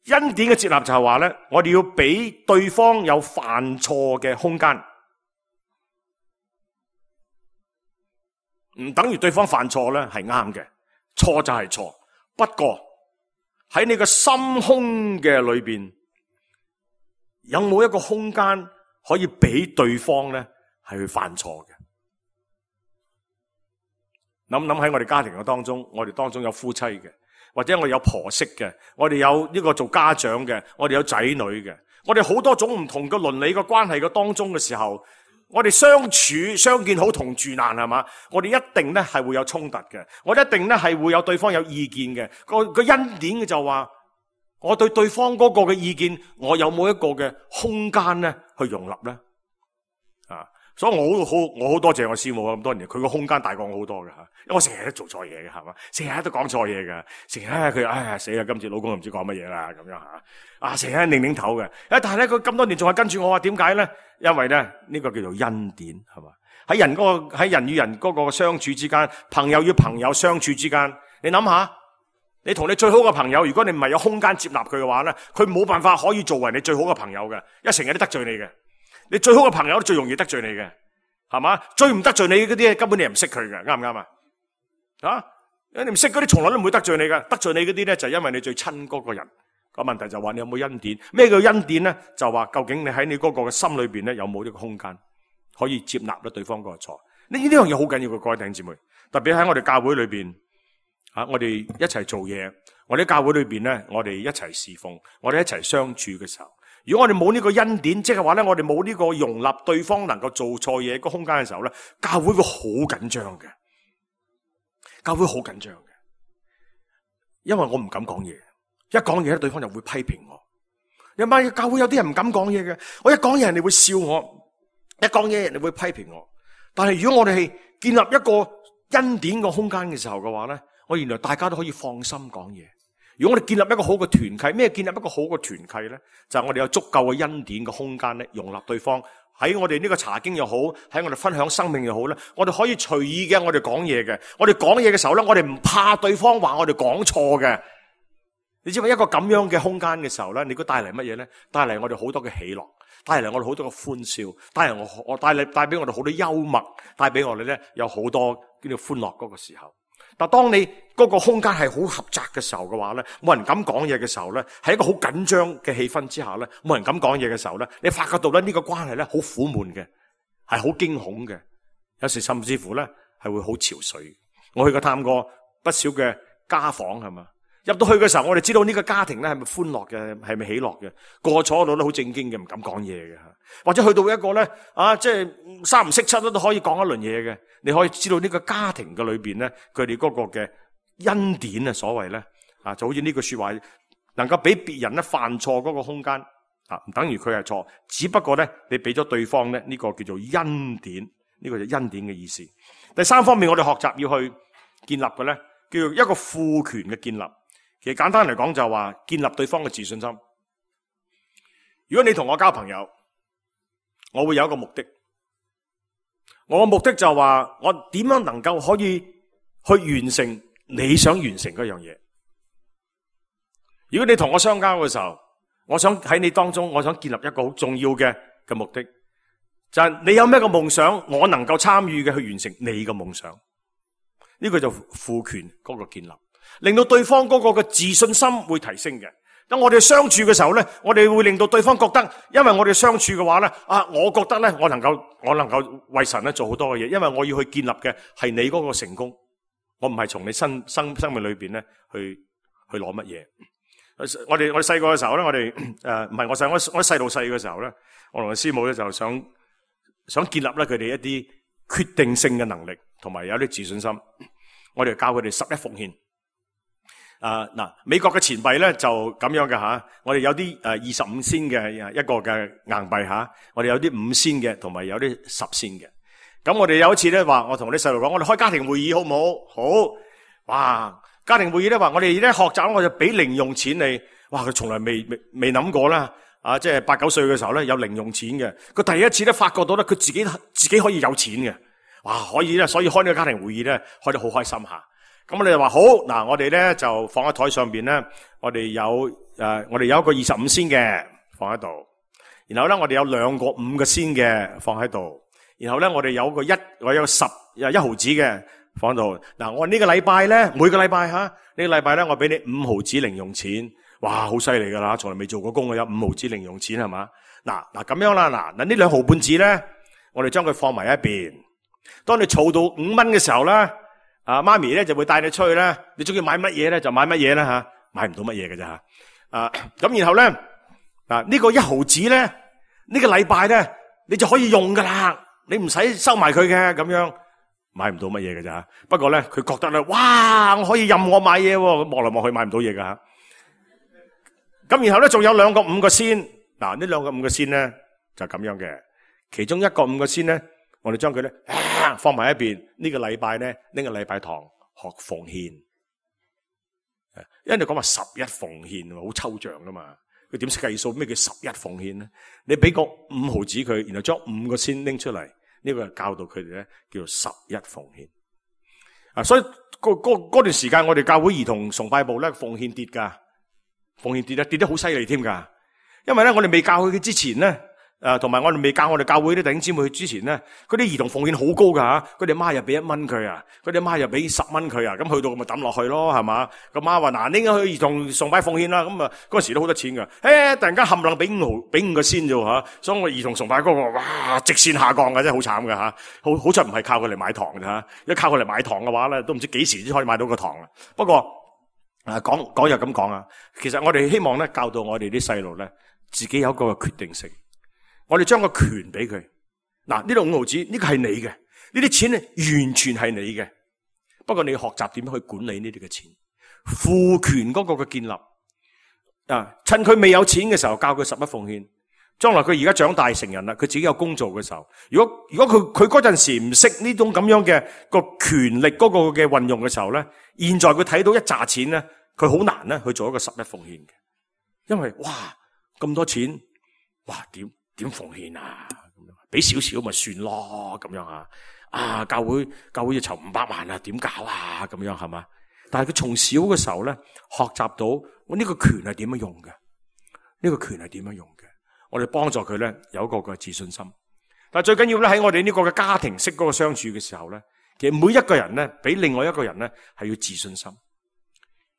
Speaker 2: 恩典嘅接納就係話咧，我哋要俾對方有犯錯嘅空間。唔等於對方犯錯咧係啱嘅，錯就係錯。不過喺你個心胸嘅裏邊，有冇一個空間可以俾對方咧係去犯錯嘅？諗喺我哋家庭嘅當中，我哋當中有夫妻嘅，或者我哋有婆媳嘅，我哋有呢個做家長嘅，我哋有仔女嘅，我哋好多種唔同嘅倫理嘅關係嘅當中嘅時候，我哋相處相見好同住難係嘛？我哋一定咧係會有衝突嘅，我哋一定咧係會有對方有意見嘅。個恩典嘅就話，我對對方嗰個嘅意見，我有冇一個嘅空間咧去容納咧？所以我好多謝我師母咁多年，佢個空間大過我好多嘅吓，因為我成日都做錯嘢嘅係嘛，成日都講錯嘢嘅，成日佢死啦，今次老公又唔知講乜嘢啦咁樣吓，成日擰頭嘅，但係咧佢咁多年仲係跟住我話，點解咧？因為咧呢個叫做恩典係嘛，喺人與人嗰個相處之間，朋友與朋友相處之間，你諗下，你同你最好嘅朋友，如果你唔係有空間接納佢嘅話咧，佢冇辦法可以作為你最好嘅朋友嘅，一成日都得罪你嘅。你最好嘅朋友都最容易得罪你嘅，係嘛？最唔得罪你嗰啲根本你係唔識佢嘅，啱唔啱啊？你唔識嗰啲從來都唔會得罪你嘅，得罪你嗰啲咧就係因為你最親嗰個人。個問題就話你有冇恩典？咩叫恩典咧？就話究竟你喺你嗰個嘅心裏邊咧有冇呢個空間可以接納咗對方嗰個錯？呢樣嘢好緊要嘅，各位弟兄姊妹，特別喺我哋教會裏邊我哋一齊做嘢，我哋喺教會裏邊咧，我哋一齊侍奉，我哋一齊相處嘅時候，如果我哋冇呢個恩典，即係話咧，我哋冇呢個容納對方能夠做錯嘢個空間嘅時候咧，教會會好緊張嘅，教會好緊張嘅，因為我唔敢講嘢，一講嘢咧，對方就會批評我。你媽，教會有啲人唔敢講嘢嘅，我一講嘢人哋會笑我，一講嘢人哋會批評我。但係如果我哋係建立一個恩典個空間嘅時候嘅話咧，我原來大家都可以放心講嘢。如果我哋建立一個好嘅團契，咩建立一個好嘅團契咧？就係我哋有足夠嘅恩典嘅空間咧，容納對方喺我哋呢個查經又好，喺我哋分享生命又好咧，我哋可以隨意嘅，我哋講嘢嘅。我哋講嘢嘅時候咧，我哋唔怕對方話我哋講錯嘅。你知唔知一個咁樣嘅空間嘅時候咧，你估帶嚟乜嘢咧？帶嚟我哋好多嘅喜樂，帶嚟我哋好多嘅歡笑，帶俾我哋好多幽默，帶俾我哋咧有好多叫做歡樂嗰個時候。但當你嗰個空間係好狹窄嘅時候嘅話咧，冇人敢講嘢嘅時候咧，喺一個好緊張嘅氣氛之下咧，冇人敢講嘢嘅時候咧，你發覺到咧呢個關係咧好苦悶嘅，係好驚恐嘅，有時甚至乎咧係會好憔悴。我去過探過不少嘅家訪係嘛。入到去嘅時候，我哋知道呢個家庭咧係咪歡樂嘅，係咪喜樂嘅？個個坐喺度都好正經嘅，唔敢講嘢嘅吓。或者去到一個咧即係三唔識七都可以講一輪嘢嘅。你可以知道呢個家庭嘅裏邊咧，佢哋嗰個嘅恩典啊，所謂咧就好似呢句說話，能夠俾別人咧犯錯嗰個空間唔等於佢係錯，只不過咧你俾咗對方咧呢個叫做恩典，呢個就恩典嘅意思。第三方面，我哋學習要去建立嘅咧，叫做一個賦權嘅建立。其實簡單嚟講就係話建立對方嘅自信心。如果你同我交朋友，我會有一個目的。我嘅目的就係話我點樣能夠可以去完成你想完成嗰樣嘢。如果你同我相交嘅時候，我想喺你當中，我想建立一個好重要嘅目的，就係你有咩個夢想，我能夠參與嘅去完成你嘅夢想。呢個就賦權嗰個建立。令到對方嗰個嘅自信心會提升嘅。當我哋相處嘅時候咧，我哋會令到對方覺得，因為我哋相處嘅話咧，我覺得咧，我能夠為神咧做好多嘅嘢，因為我要去建立嘅係你嗰個成功，我唔係從你生命裏邊咧去攞乜嘢。我哋細個嘅時候咧，我哋唔係我細路細嘅時候咧，我同個師母咧就想建立咧佢哋一啲決定性嘅能力，同埋有啲自信心。我哋教佢哋11奉獻。美國嘅錢幣咧就咁樣嘅吓，我哋有啲25仙嘅一個嘅硬幣吓，我哋有啲5仙嘅，同埋有啲10仙嘅。咁我哋有一次咧話，我同啲細路講，我哋開家庭會議好唔好？好，哇！家庭會議咧話，我哋咧學習，我就俾零用錢你。哇！佢從來未諗過啦，即係8、9歲嘅時候咧有零用錢嘅。佢第一次咧發覺到咧，佢自己可以有錢嘅。哇！可以咧，所以開呢個家庭會議咧開得好開心吓。咁我哋就話好，嗱，我哋咧就放喺台上邊咧，我哋有一個25仙嘅放喺度，然後咧我哋有2個5個仙嘅放喺度，然後咧我哋有個1毫子嘅放喺度。嗱，我呢個禮拜咧，每個禮拜呢個禮拜咧，我俾你5毫子零用錢，哇，好犀利噶啦，從來未做過工嘅有5毫子零用錢係嘛？嗱咁樣啦，嗱呢2毫半子咧，我哋將佢放埋一邊。當你儲到5蚊嘅時候咧。媽咪咧就會帶你出去咧，你中意買乜嘢咧就買乜嘢啦吓，買唔到乜嘢嘅咋吓。咁然後咧呢個1毫子咧，呢個禮拜咧你就可以用噶啦，你唔使收埋佢嘅，咁樣買唔到乜嘢嘅咋。不過咧佢覺得咧，哇，我可以任我買嘢，望嚟望去買唔到嘢噶吓。咁然後咧仲有2個5個仙，嗱呢2個5個仙咧就咁樣嘅，其中1個5個仙咧。我哋將佢咧放埋一邊。呢個禮拜咧，呢個禮拜堂學奉獻，因為你講話11奉獻，好抽象噶嘛。佢點識計數？咩叫11奉獻咧？你俾個5毫子佢，然後將5個先拎出嚟，呢個教導佢哋咧叫做11奉獻。所以嗰段時間，我哋教會兒童崇拜部咧奉獻跌噶，奉獻跌得好犀利添噶。因為咧，我哋未教佢之前咧。同埋我哋未教我哋教會啲弟兄姊妹去之前咧，嗰啲兒童奉獻好高噶吓，佢哋媽又俾1蚊佢啊，佢哋媽又俾10蚊佢啊，咁去到咪抌落去咯，係嘛？個媽話嗱，應該去兒童崇拜奉獻啦，咁啊嗰陣時都好多錢噶，突然間冚唪唥俾5個先啫吓，所以我兒童崇拜嗰個哇直線下降嘅，真係好慘嘅吓，好彩唔係靠佢嚟買糖嘅吓，一靠佢嚟買糖嘅話咧，都唔知幾時先可以買到個糖啦。不過講又咁講啊，其實我哋希望咧教導我哋啲細路咧，自己有一個決定性。我哋將個權俾佢，嗱，呢度5毫子呢個係你嘅，呢啲錢咧完全係你嘅。不過你要學習點樣去管理呢啲嘅錢，賦權嗰個嘅建立趁佢未有錢嘅時候教佢11奉獻，將來佢而家長大成人啦，佢自己有工做嘅時候，如果佢嗰陣時唔識呢種咁樣嘅個權力嗰個嘅運用嘅時候咧，現在佢睇到一紮錢咧，佢好難咧去做一個11奉獻嘅，因為哇咁多錢，哇點奉獻啊？咁樣俾少少咪算咯，咁樣教會要籌500萬啊，點搞啊？咁樣係嘛？但係佢從小嘅時候咧，學習到我呢個權係點樣用嘅，呢個權係點樣用嘅，我哋幫助佢咧有一個嘅自信心。但係最緊要咧喺我哋呢個嘅家庭式嗰個相處嘅時候咧，其實每一個人咧俾另外一個人咧係要自信心。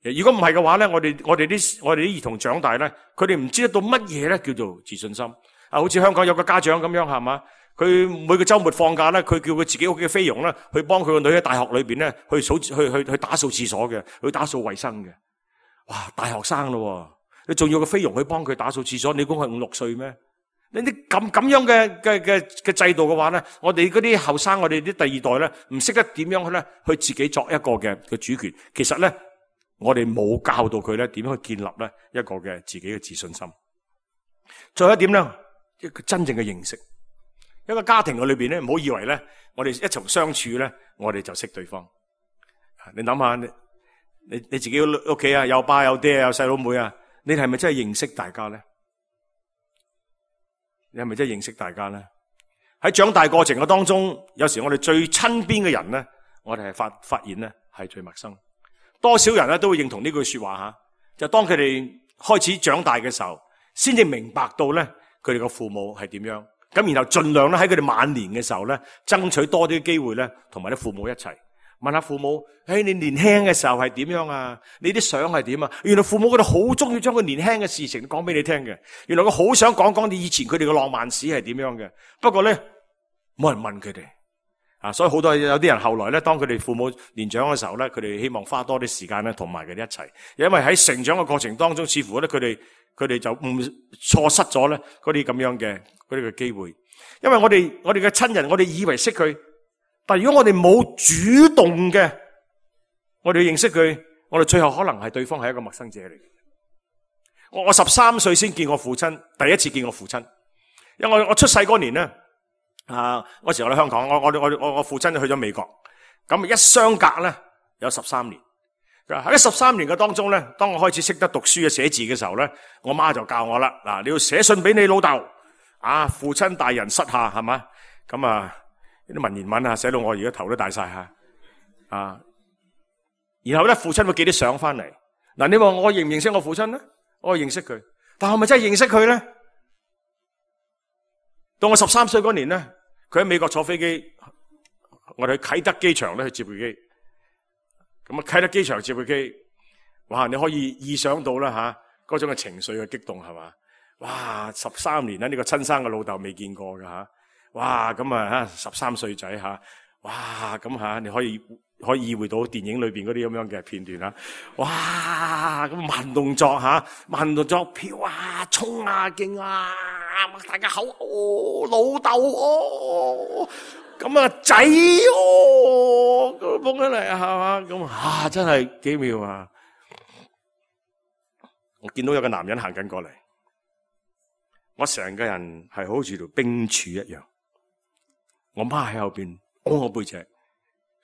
Speaker 2: 如果唔係嘅話咧，我哋啲兒童長大咧，佢哋唔知得到乜嘢咧叫做自信心。好似香港有個家長咁樣係嘛，佢每個週末放假咧，佢叫佢自己屋企嘅菲傭咧，去幫佢個女喺大學裏邊咧去打掃廁所嘅，去打掃衛生嘅。哇，大學生咯，你仲要個菲傭去幫佢打掃廁所，你估佢5、6歲咩？你啲咁樣嘅制度嘅話咧，我哋嗰啲後生，我哋啲第二代咧，唔識得點樣咧去自己作一個嘅主權。其實咧，我哋冇教導佢咧點樣去建立咧一個嘅自己嘅自信心。最後一點咧。一個真正嘅認識，一個家庭嘅裏邊咧，唔好以為咧，我哋一齊相處咧，我哋就識對方。你諗下，你自己屋企啊，有爸有爹有細佬妹啊，你係咪真係認識大家咧？你係咪真係認識大家咧？喺長大過程嘅當中，有時我哋最親邊嘅人咧，我哋係發現咧係最陌生。多少人咧都會認同呢句說話吓，就當佢哋開始長大嘅時候，先至明白到咧。佢哋個父母係點樣？咁然後盡量咧喺佢哋晚年嘅時候咧，爭取多啲機會咧，同埋啲父母一齊問下父母：你年輕嘅時候係點樣啊？你啲相係點啊？原來父母佢哋好中意將佢年輕嘅事情講俾你聽嘅。原來佢好想講你以前佢哋嘅浪漫史係點樣嘅。不過咧，冇人問佢哋所以好多有啲人後來咧，當佢哋父母年長嘅時候咧，佢哋希望花多啲時間咧，同埋佢哋一齊，因為喺成長嘅過程當中，似乎咧佢哋就錯失咗咧嗰啲咁樣嘅嗰啲嘅機會，因為我哋嘅親人，我哋以為識佢，但係如果我哋冇主動嘅，我哋認識佢，我哋最後可能係對方係一個陌生者嚟嘅。我13歲先見我父親，第一次見我父親，因為我出世嗰年咧，嗰時我喺香港，我父親就去咗美國，咁一相隔咧有13年。喺13年嘅當中咧，當我開始識得讀書嘅寫字嘅時候咧，我媽就教我啦。嗱，你要寫信俾你老豆，父親大人膝下係嘛？咁啲文言文寫到我而家頭都大晒吓。然後咧，父親會寄啲相翻嚟。嗱，你話我認唔認識我父親咧？我認識佢，但係咪真係認識佢咧？到我13歲嗰年咧，佢喺美國坐飛機，我哋去啟德機場咧去接佢機。咁啟德機場接佢機，哇！你可以意想到啦嗰種嘅情緒嘅激動係嘛？哇！13年啦，呢個親生嘅老豆未見過㗎。哇！咁13歲仔哇！咁你可以意會到電影裏邊嗰啲咁樣嘅片段啦。哇！咁慢動作慢動作飄衝勁大家口老豆咁仔咁捧起嚟係嘛？咁真係幾妙啊！我見到有個男人行緊過嚟，我成個人係好似條冰柱一樣。我媽喺後邊拱我背脊，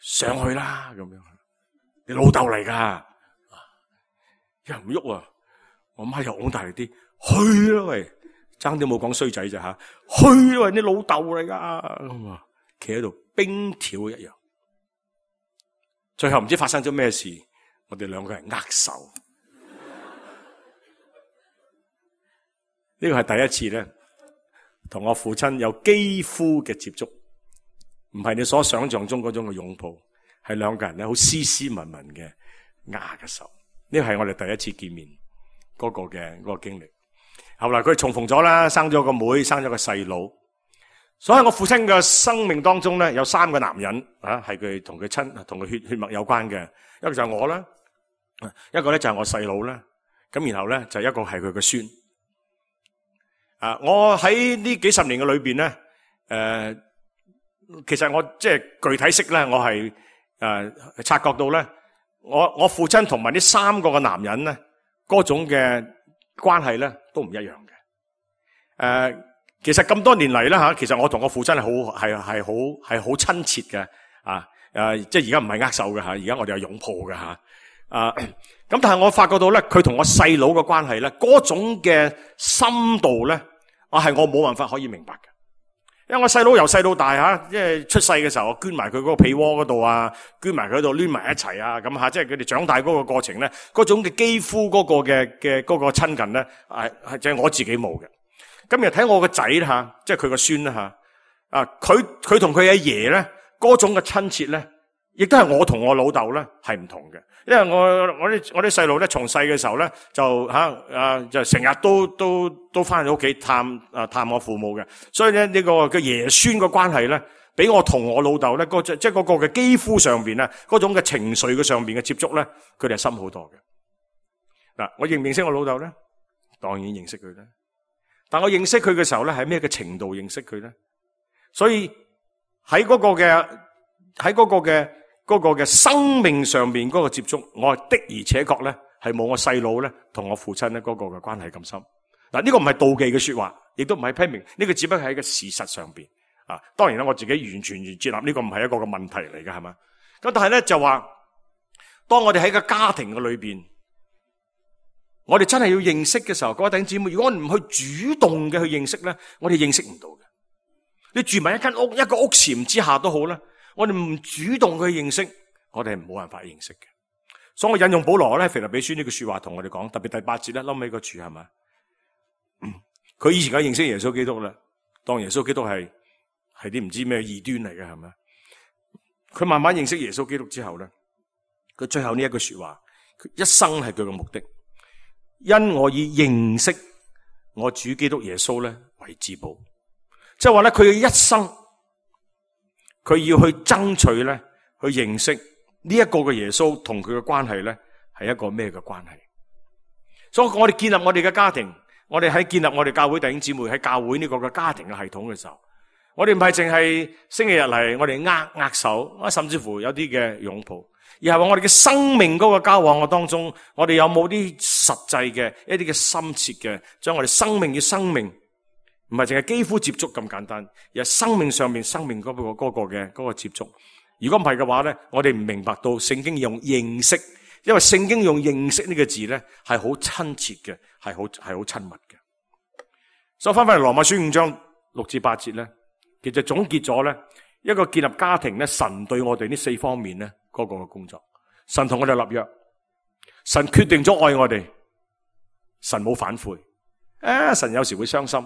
Speaker 2: 上去啦咁樣。你老豆嚟噶，又唔喐啊！我媽又拱大力啲，去啦喂，爭啲冇講衰仔咋吓？去啦喂，你老豆嚟噶咁啊！企喺度冰條一樣，最後唔知發生咗咩事，我哋兩個人握手。呢個係第一次咧，同我父親有肌膚嘅接觸，唔係你所想象中嗰種嘅擁抱，係兩個人咧好斯斯文文嘅握嘅手。呢個係我哋第一次見面嗰個經歷。後來佢重逢咗啦，生咗個妹，生咗個細佬。所以我父親嘅生命當中咧，有3個男人啊，係佢同佢血脈有關嘅。一個就係我啦，一個咧就係我細佬啦。咁然後咧就一個係佢嘅孫。我喺呢幾十年嘅裏邊咧，其實我即係具體識咧，我係察覺到咧，我父親同埋呢3個嘅男人咧，嗰種嘅關係咧都唔一樣嘅。其實咁多年嚟啦吓，其實我同我父親係好親切嘅即係而家唔係握手嘅吓，而家我哋係擁抱嘅吓。咁但係我發覺到咧，佢同我細佬嘅關係咧，嗰種嘅深度咧，我冇辦法可以明白嘅。因為我細佬由細到大吓，即係出世嘅時候，我捐埋佢嗰個被窩嗰度啊，捐埋佢嗰度攣埋一齊啊，咁吓，即係佢哋長大嗰個過程咧，嗰種嘅肌膚嗰個嘅嗰個親近咧，係就係我自己冇嘅。咁又睇我個仔吓，即係佢個孫啦吓，佢同佢阿爺咧，嗰種嘅親切咧，亦都係我同我老豆咧係唔同嘅。因為我啲細路咧，從細嘅時候咧就就成日都翻去屋企探我父母嘅，所以咧呢個嘅爺孫嘅關係咧，比我同我老豆咧即係嗰個嘅肌膚上邊咧，嗰種嘅情緒嘅上邊嘅接觸咧，佢哋係深好多嘅。嗱，我認唔認識我老豆咧？當然認識佢啦。但我認識佢嘅時候咧，係咩嘅程度認識佢咧？所以喺嗰個嘅生命上面嗰個接觸，我的而且確咧係冇我細佬咧同我父親咧嗰個嘅關係咁深。嗱，呢個唔係妒忌嘅說話，亦都唔係批評，呢個只不過係一個事實上邊啊。當然啦，我自己完全接納呢個唔係一個嘅問題嚟嘅，係嘛？咁但係咧就話，當我哋喺個家庭嘅裏邊，我哋真係要認識嘅時候，各位弟兄姊妹，如果我唔去主動嘅去認識咧，我哋認識唔到嘅。你住埋一間屋，一個屋檐之下都好啦，我哋唔主動去認識，我哋係冇辦法認識嘅。所以我引用保羅咧腓立比書呢句說話同我哋講，特別第8節咧，冧尾個處係嘛？佢以前梗係認識耶穌基督啦，當耶穌基督係啲唔知咩異端嚟嘅，係咪？佢慢慢認識耶穌基督之後咧，佢最後呢一句說話，佢一生係佢嘅目的。因我以認識我主基督耶穌咧為至寶，即係話咧佢嘅一生，佢要去爭取咧，去認識呢一個嘅耶穌同佢嘅關係咧係一個咩嘅關係。所以我哋建立我哋嘅家庭，我哋喺建立我哋教會弟兄姊妹喺教會呢個嘅家庭嘅系統嘅時候，我哋唔係淨係星期日嚟，我哋握手，甚至乎有啲嘅擁抱。而係話我哋嘅生命嗰個交往嘅當中，我哋有冇啲實際嘅一啲嘅深切嘅，將我哋生命與生命，唔係淨係肌膚接觸咁簡單，而係生命上面生命嗰個接觸。如果唔係嘅話咧，我哋唔明白到聖經用認識，因為聖經用認識呢個字咧係好親切嘅，係好親密嘅。所以翻翻嚟羅馬書5章6至8節咧，其實總結咗咧一個建立家庭咧，神對我哋呢4方面咧。嗰個嘅工作，神同我哋立約，神決定咗愛我哋，神冇反悔。神有時會傷心，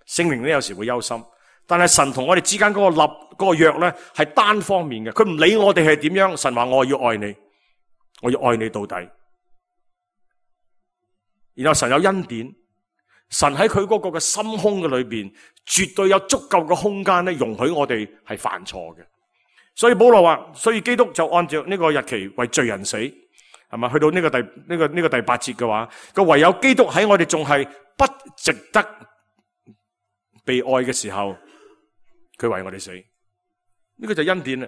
Speaker 2: 聖靈咧有時會憂心，但係神同我哋之間嗰個約咧係單方面嘅，佢唔理我哋係點樣，神話我要愛你，我要愛你到底。然後神有恩典，神喺佢嗰個嘅心胸嘅裏邊，絕對有足夠嘅空間咧，容許我哋係犯錯嘅。所以保羅話，所以基督就按照呢個日期為罪人死，係咪？去到呢個第8節嘅話，佢唯有基督喺我哋仲係不值得被愛嘅時候，佢為我哋死。呢個就恩典啦，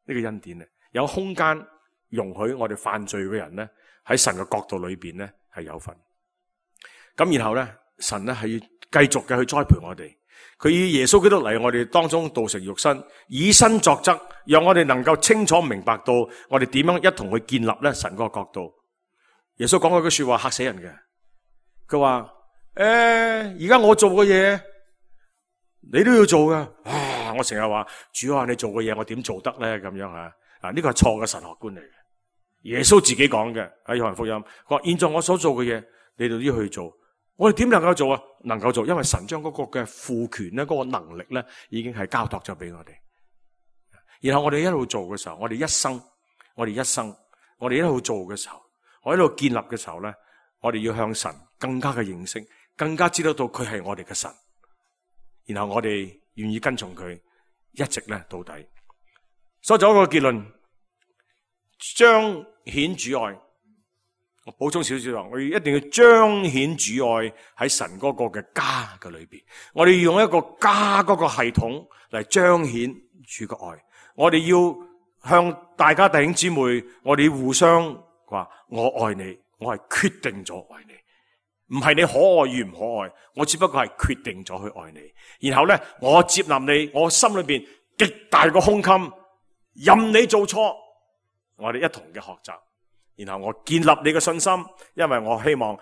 Speaker 2: 呢個恩典啦，有空間容許我哋犯罪嘅人咧喺神嘅角度裏邊咧係有份。咁然後咧，神咧係要繼續嘅去栽培我哋。佢以耶穌基督嚟我哋當中道成肉身，以身作則，讓我哋能夠清楚明白到我哋點樣一同去建立咧神嗰個角度。耶穌講嗰句說話嚇死人嘅，佢話而家我做嘅嘢你都要做噶。我成日話主啊，你做嘅嘢我點做得咧？咁樣啊，呢個係錯嘅神學觀嚟嘅。耶穌自己講嘅喺約翰福音，佢話現在我所做嘅嘢你哋都要去做。我哋點能夠做啊？能夠做，因為神將嗰個嘅賦權咧，嗰個能力咧，已經係交託咗俾我哋。然後我哋一路做嘅時候，我哋一生，我哋一路做嘅時候，我一路建立嘅時候咧，我哋要向神更加嘅認識，更加知道到佢係我哋嘅神。然後我哋願意跟從佢，一直咧到底。所以做一個結論，彰顯主愛。我補充少少，我哋一定要彰顯主愛喺神嗰個嘅家嘅裏邊。我哋要用一個家嗰個系統嚟彰顯主嘅愛。我哋要向大家弟兄姊妹，我哋要互相話我愛你，我係決定咗愛你，唔係你可愛與唔可愛，我只不過係決定咗去愛你。然後咧，我接納你，我心裏邊極大個胸襟，任你做錯，我哋一同嘅學習。然後我建立你嘅信心，因為我希望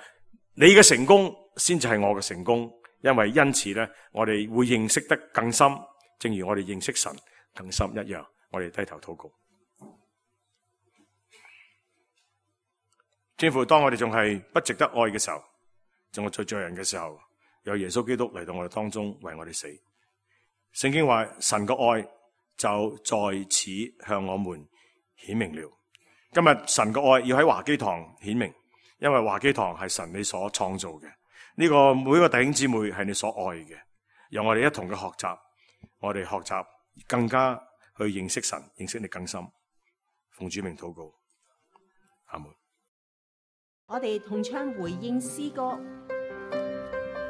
Speaker 2: 你嘅成功先至係我嘅成功，因為因此咧，我哋會認識得更深，正如我哋認識神更深一樣。我哋低頭禱告。天父，當我哋仲係不值得愛嘅時候，仲係罪人嘅時候，有耶穌基督嚟到我哋當中為我哋死。聖經話神嘅愛就在此向我們顯明了。今日神嘅愛要喺華基堂顯明，因為華基堂係神你所創造嘅，呢個每個弟兄姊妹係你所愛嘅，讓我哋一同嘅學習，我哋學習更加去認識神，認識你更深。奉主名禱告，阿門。
Speaker 3: 我哋同唱回應詩歌，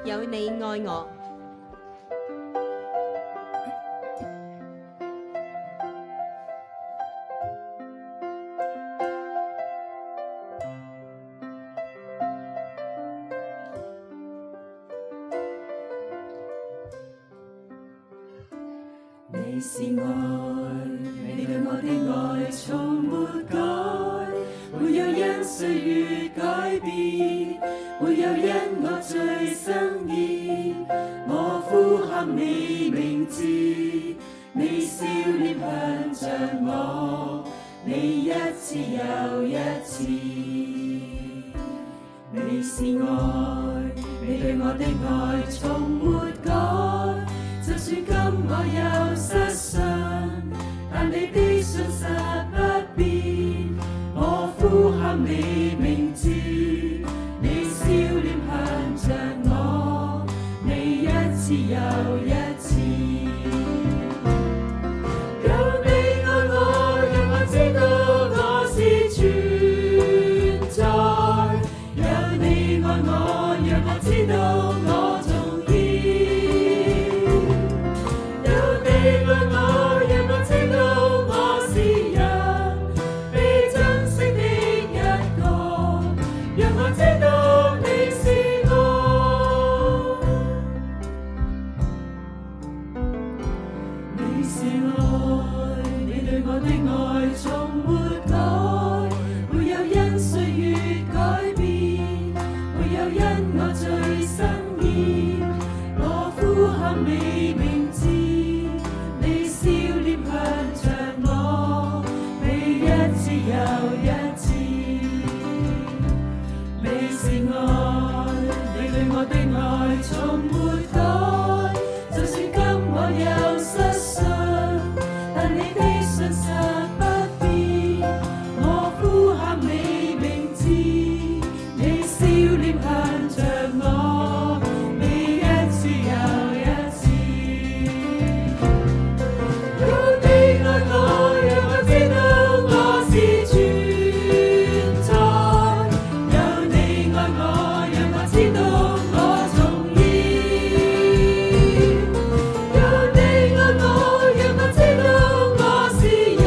Speaker 3: 有你愛我。
Speaker 4: 你是愛，你對我的愛從沒改，沒有因歲月改變，沒有因我罪生意。我呼喊你名字，你笑臉向着我，你一次又一次。你是愛，你對我的愛從沒改，就算今我有失信，但你的信實不變。我呼喊你名字，你笑臉向着我，你一次又一次。有你愛我，讓我知道我是存在。有你愛我，讓我知道我重要。有你愛我，讓我知道我是人，被珍惜的一個，讓我知道你是愛。你是愛，你對我的愛從沒改，沒有因歲月改變，沒有因我罪生厭。我呼喊你名字，你笑臉向着我，你一次又一次。你是愛，你對我的愛從沒改，就算今我有失信，但你的信實不變。我呼喊你名字，你笑臉向着我，你一次又一次。有你愛我，讓我知道我是存在。有你愛我，讓我知道我重要。有你愛我，讓我知道我是人，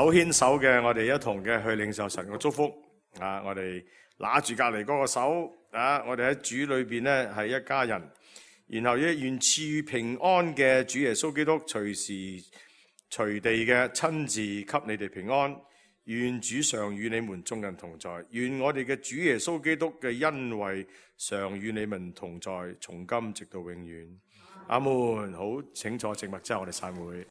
Speaker 2: 手牽手嘅，我哋一同嘅去領受神嘅祝福啊！我哋拿住隔離嗰個手啊！我哋喺主裏邊咧係一家人，然後願賜予平安嘅主耶穌基督隨時隨地嘅親自給你哋平安。願主常與你們眾人同在，願我哋嘅主耶穌基督嘅恩惠常與你們同在，從今直到永遠。阿門。好，請坐靜默之後，我哋散會。